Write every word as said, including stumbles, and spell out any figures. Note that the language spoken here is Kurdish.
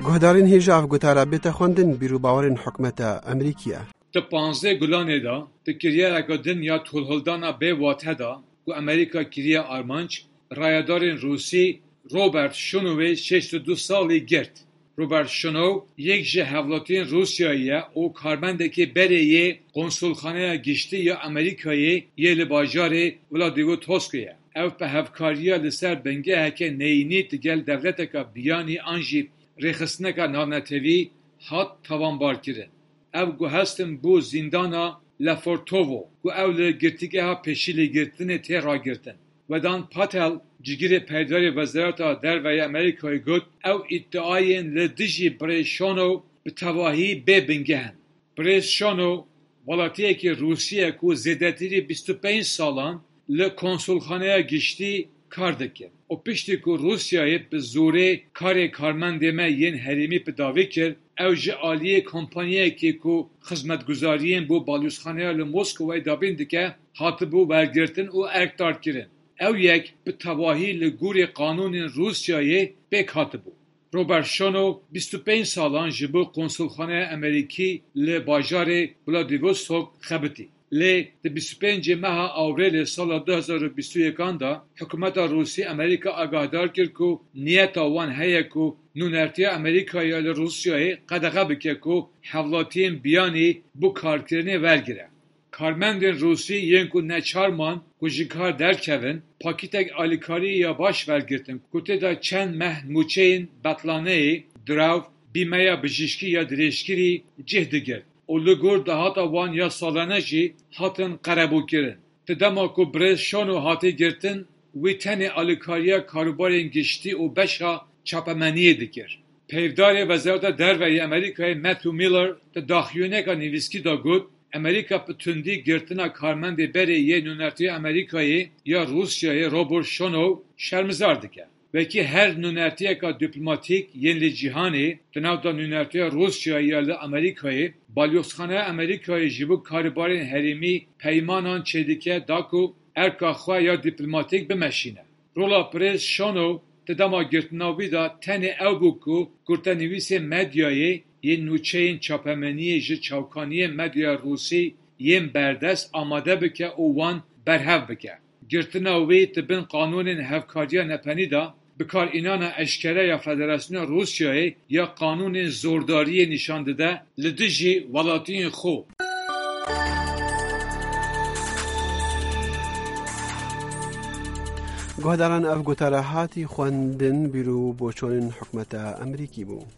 Guhdarên hêja ev gotara bête xwendin, bîr û bawerên hikûmeta Amerîkî ye. Di panzdeh Gulanê de, di kiryareke din ya tolhildana bê wate de, ku Amerîka kiriye armanc, rayedarên Rûsî Robert Şonowê şêst û du salî girt. Robert Şonow yek ji hevlatiyên Rûsyayê ye û karmendekê berê yê Konsulxaneya Giştî ya Amerîkayê yê li bajarê Vladivostokê ye. Ew bi hevkariya li ser bingeheke neyînî digel dewleteka biyanî an jî rêxistineka navnetewî hat tawanbarkirin. Ew guhestin bo zîndana Lefortovo, ku ew li girtîgeha pêşîlêgirtinê tê ragirtin. Vedan Patel, cigirê peydarê Wezareta Derve yê Amerîkayê got, ew îdiayên li dijî birêz Şonow bi tevahî bê bingeh in. Birêz Şonow welatiyekî Rûsî ye ku zêdetirî bîst û pênc salan li Konsulxaneya Giştî kar dike û piştî ku Rûsyayê bi zorê karê karmendê me yên herêmî bi dawî kir, ew ji aliyê kompanyayekê ku xizmetguzariyên bo balyozxaneya li Moskowayê dabîn dike, hatibû wergirtin û erkdarkirin. Ew yek bi tevahî li gorî qanûnên Rûsyayê pêk hatibû. Robert Şonow bîst û pênc salan ji bo Konsulxaneya Amerîkî li bajarê Vladivostok xebitî. Lê di bîst û pêncê meha Awrêlê sala du hezar û bîst û yekan de hikûmeta Rûsî Amerîka agahdar kir ku niyeta wan heye ku nûnertiya Amerîkayê ya li Rûsyayê qedexe bike ku hevlatiyên biyanî bo karkirinê wergire. Karmendên Rûsî yên ku neçar man ku ji kar derkevin, pakîtek alîkariyê ya baş wergirtin ku tê de çend meh mûçeyên betlaneyê, dirav, bîmeya bijîşkî ya dirêjkirî cih digirt û li gor dahata wan ya salane jî hatin qerebûkirin. Di dema ku birêz Şono hatî girtin, wî tenê alîkariya karûbarên giştî û beşa çapemeniyê dikir. Peyvdarê Wezareta Derve yê Amerîkayê Matthew Miller di daxuyaniyeka nivîskî de got, Amerîka bi tundî girtina karmendê berê yê nûnertiya Amerîkayê ya Rûsyayê Robert Şonow şermizar dike. Wekî her nûnertiyeka dîplomatîk yên li cîhanê, di nav de nûnertiya Rûsyayê ya li Amerîkayê, balyozxaneya Amerîkayê ji bo karûbarên herêmî peymanan çêdike da ku erka xwe ya dîplomatîk bimeşîne. Rola Birêz Şono di dema girtina wî de tenê ew bû ku kurtenivîsên medyayê yên nûçeyên çapemeniyê ji çavkaniyên medyaya rûsî yên berdest amade bike û wan berhev bike. Girtina wî di bin qanûnên hevkariya nepenî de, bikarînana eşkere ya Federasyona Rûsyayê ya qanûnên zordariyê nîşan dide li dijî welatiyên xwe. Guhdaran, ev gotara hatî xwendin, bîr û boçonên hikûmeta Amerîkî bû.